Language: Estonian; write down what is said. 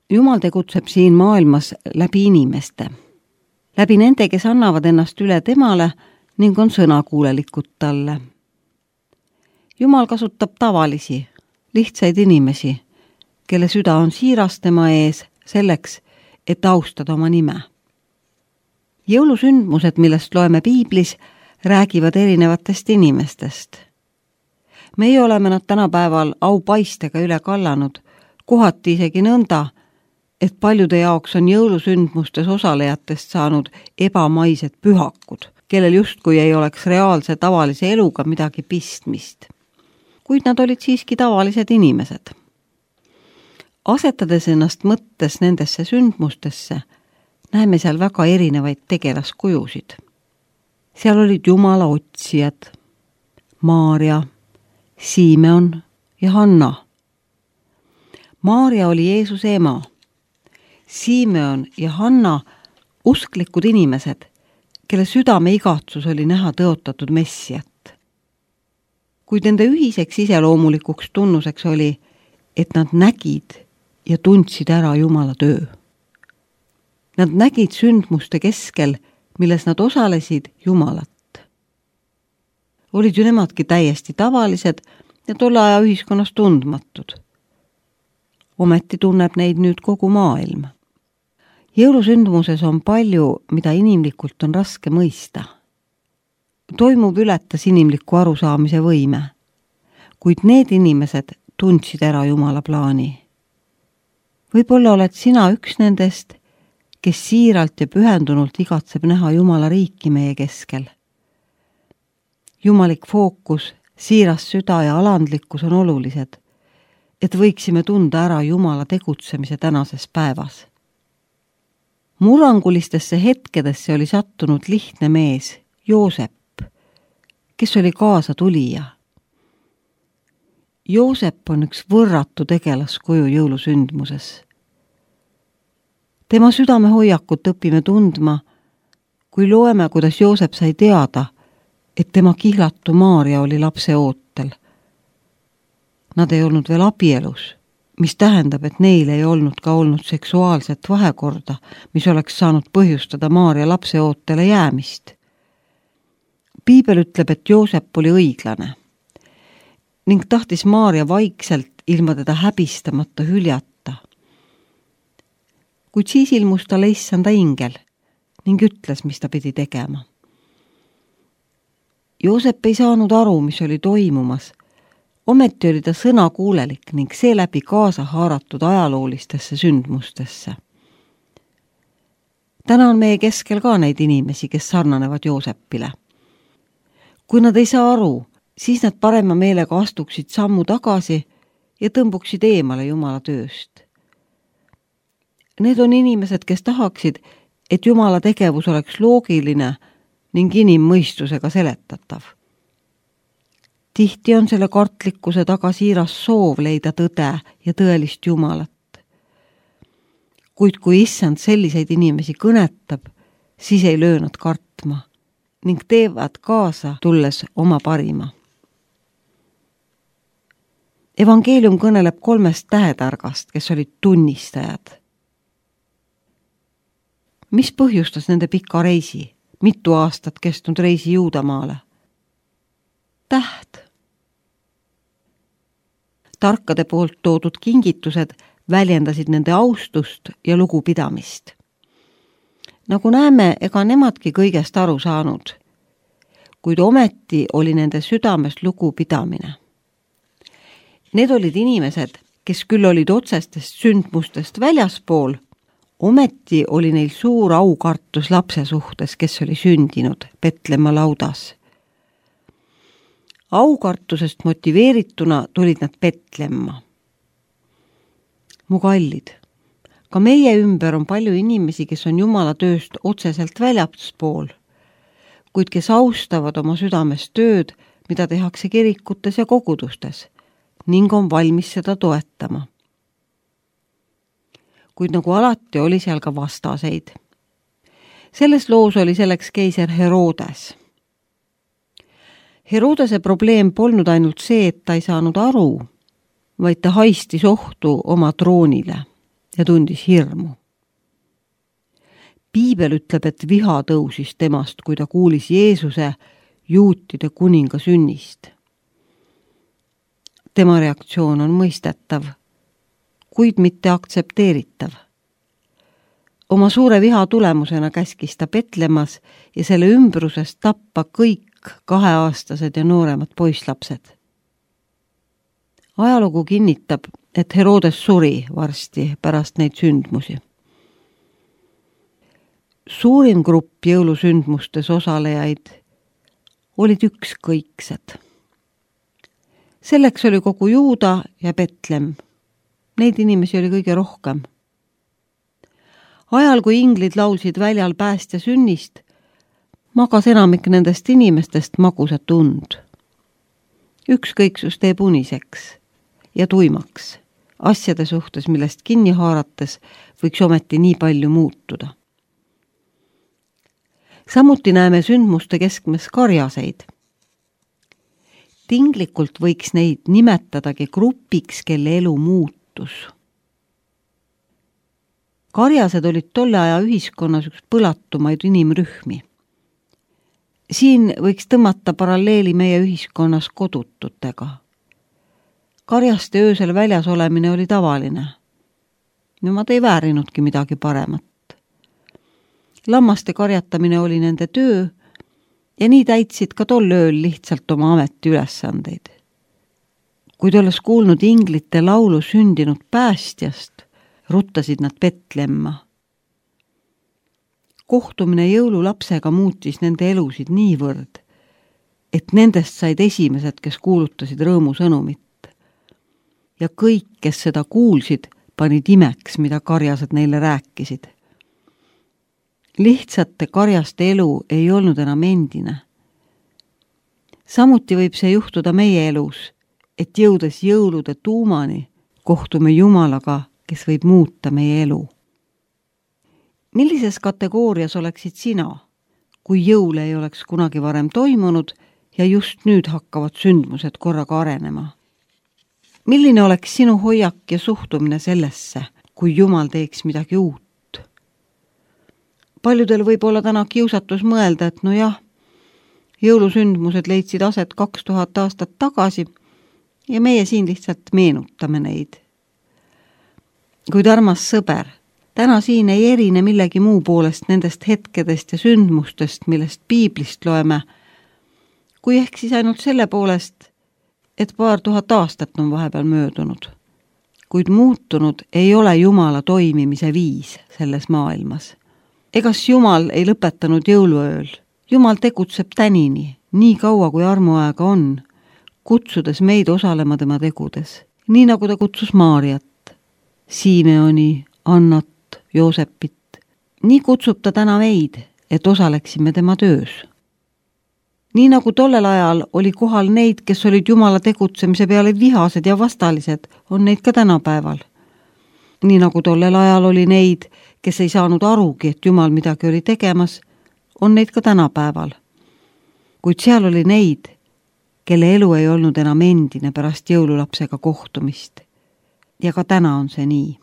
Jumal tegutseb siin maailmas läbi inimeste. Läbi nende, kes annavad ennast üle temale ning on sõnakuulelikud talle. Jumal kasutab tavalisi, lihtsaid inimesi, kelle süda on siiras tema ees selleks, et austada oma nime. Jõulusündmused, millest loeme piiblis, räägivad erinevatest inimestest. Meie oleme nad tänapäeval aupaistega üle kallanud, kohati isegi nõnda, et paljude jaoks on jõulusündmustes osalejatest saanud ebamaised pühakud, kellel justkui ei oleks reaalse tavalise eluga midagi pistmist. Kuid nad olid siiski tavalised inimesed. Asetades ennast mõttes nendesse sündmustesse, näeme seal väga erinevaid tegelaskujusid. Seal olid Jumala otsijad, Maarja, Simeon ja Hanna. Maarja oli Jeesuse ema. Simeon ja Hanna usklikud inimesed, kelle südame igatsus oli näha tõotatud Messiat. Kuid nende ühiseks iseloomulikuks tunnuseks oli, et nad nägid ja tundsid ära Jumala töö. Nad nägid sündmuste keskel, milles nad osalesid Jumalat. Olid ju nemadki täiesti tavalised ja tolle aja ühiskonnas tundmatud. Ometi tunneb neid nüüd kogu maailm. Jõulusündmuses on palju, mida inimlikult on raske mõista. Toimub ületas inimliku arusaamise võime, kuid need inimesed tundsid ära Jumala plaani. Võib-olla oled sina üks nendest, kes siiralt ja pühendunult igatseb näha Jumala riiki meie keskel. Jumalik fookus, siiras süda ja alandlikkus on olulised, et võiksime tunda ära Jumala tegutsemise tänases päevas. Murrangulistesse hetkedesse oli sattunud lihtne mees, Joosep, kes oli kaasa tulija. Joosep on üks võrratu tegelaskuju jõulusündmuses. Tema südame hoiakut õpime tundma, kui loeme, kuidas Joosep sai teada, et tema kihlatu Maarja oli lapse ootel. Nad ei olnud veel abielus, mis tähendab, et neil ei olnud ka olnud seksuaalset vahekorda, mis oleks saanud põhjustada Maarja lapse ootele jäämist. Piibel ütleb, et Joosep oli õiglane ning tahtis Maarja vaikselt ilma teda häbistamata hüljata. Kuid siis ilmus talle issanda ingel ning ütles, mis ta pidi tegema. Joosep ei saanud aru, mis oli toimumas. Ometi oli ta sõnakuulelik ning seeläbi kaasa haaratud ajaloolistesse sündmustesse. Täna on meie keskel ka neid inimesi, kes sarnanevad Joosepile. Kui nad ei saa aru, siis nad parema meelega astuksid sammu tagasi ja tõmbuksid eemale Jumala tööst. Need on inimesed, kes tahaksid, et Jumala tegevus oleks loogiline ning inimmõistusega seletatav. Tihti on selle kartlikkuse taga siiras soov leida tõde ja tõelist Jumalat. Kuid kui issand selliseid inimesi kõnetab, siis ei löö nad kartma ning teevad kaasa tulles oma parima. Evangeelium kõneleb 3 tähetargast, kes olid tunnistajad. Mis põhjustas nende pika reisi, mitu aastat kestnud reisi Juudamaale? Täht. Tarkade poolt toodud kingitused väljendasid nende austust ja lugupidamist. Nagu näeme, ega nemadki kõigest aru saanud, kuid ometi oli nende südames lugupidamine. Need olid inimesed, kes küll olid otsestest sündmustest väljaspool, ometi oli neil suur aukartus lapse suhtes, kes oli sündinud Petlemma laudas. Aukartusest motiveerituna tulid nad Petlemma. Mu kallid, ka meie ümber on palju inimesi, kes on Jumala tööst otseselt väljaspool, kuid kes austavad oma südames tööd, mida tehakse kirikutes ja kogudustes, ning on valmis seda toetama. Kuid nagu alati oli seal ka vastaseid. Selles loos oli selleks keiser Herodes. Herodese probleem polnud ainult see, et ta ei saanud aru, vaid ta haistis ohtu oma troonile ja tundis hirmu. Piibel ütleb, et viha tõusis temast, kui ta kuulis Jeesuse juutide kuninga sünnist. Tema reaktsioon on mõistetav, kuid mitte aktsepteeritav. Oma suure viha tulemusena käskis ta Petlemmas ja selle ümbruses tappa kõik 2-aastased ja nooremad poisslapsed. Ajalugu kinnitab, et Herodes suri varsti pärast neid sündmusi. Suurim grupp jõulusündmustes osalejaid olid ükskõiksed. Selleks oli kogu Juuda ja Betlem. Neid inimesi oli kõige rohkem. Ajal, kui inglid laulsid väljal päästja sünnist, magas enamik nendest inimestest magusat und. Ükskõiksus teeb uniseks ja tuimaks asjade suhtes, millest kinni haarates võiks ometi nii palju muutuda. Samuti näeme sündmuste keskmes karjaseid. Tinglikult võiks neid nimetadagi grupiks, kelle elu muutus. Karjased olid tolle aja ühiskonnas üks põlatumaid inimrühmi. Siin võiks tõmmata paralleeli meie ühiskonnas kodututega. Karjaste öösel väljas olemine oli tavaline. Nemad ei väärinudki midagi paremat. Lammaste karjatamine oli nende töö ja nii täitsid ka tol ööl lihtsalt oma ameti ülesandeid. Kuid olles kuulnud inglite laulu sündinud päästjast, ruttasid nad Petlemma. Kohtumine jõululapsega muutis nende elusid niivõrd, et nendest said esimesed, kes kuulutasid rõõmusõnumit. Ja kõik, kes seda kuulsid, panid imeks, mida karjased neile rääkisid. Lihtsate karjaste elu ei olnud enam endine. Samuti võib see juhtuda meie elus, et jõudes jõulude tuumani kohtume Jumalaga, kes võib muuta meie elu. Millises kategoorias oleksid sina, kui jõule ei oleks kunagi varem toimunud ja just nüüd hakkavad sündmused korraga arenema? Milline oleks sinu hoiak ja suhtumine sellesse, kui Jumal teeks midagi uut? Paljudel võib olla täna kiusatus mõelda, et jõulusündmused leidsid aset 2000 aastat tagasi ja meie siin lihtsalt meenutame neid. Kuid armas sõber, täna siin ei erine millegi muu poolest nendest hetkedest ja sündmustest, millest piiblist loeme, kui ehk siis ainult selle poolest, et 2000 aastat on vahepeal möödunud. Kuid muutunud ei ole Jumala toimimise viis selles maailmas. Egas Jumal ei lõpetanud jõuluööl. Jumal tegutseb tänini, nii kaua kui armuaega on, kutsudes meid osalema tema tegudes. Nii nagu ta kutsus Maariat, Simeoni, Annat, Joosepit. Nii kutsub ta täna meid, et osaleksime tema töös. Nii nagu tollel ajal oli kohal neid, kes olid Jumala tegutsemise peale vihased ja vastalised, on neid ka tänapäeval. Nii nagu tollel ajal oli neid, kes ei saanud arugi, et Jumal midagi oli tegemas, on neid ka tänapäeval. Kuid seal oli neid, kelle elu ei olnud enam endine pärast jõululapsega kohtumist. Ja ka täna on see nii.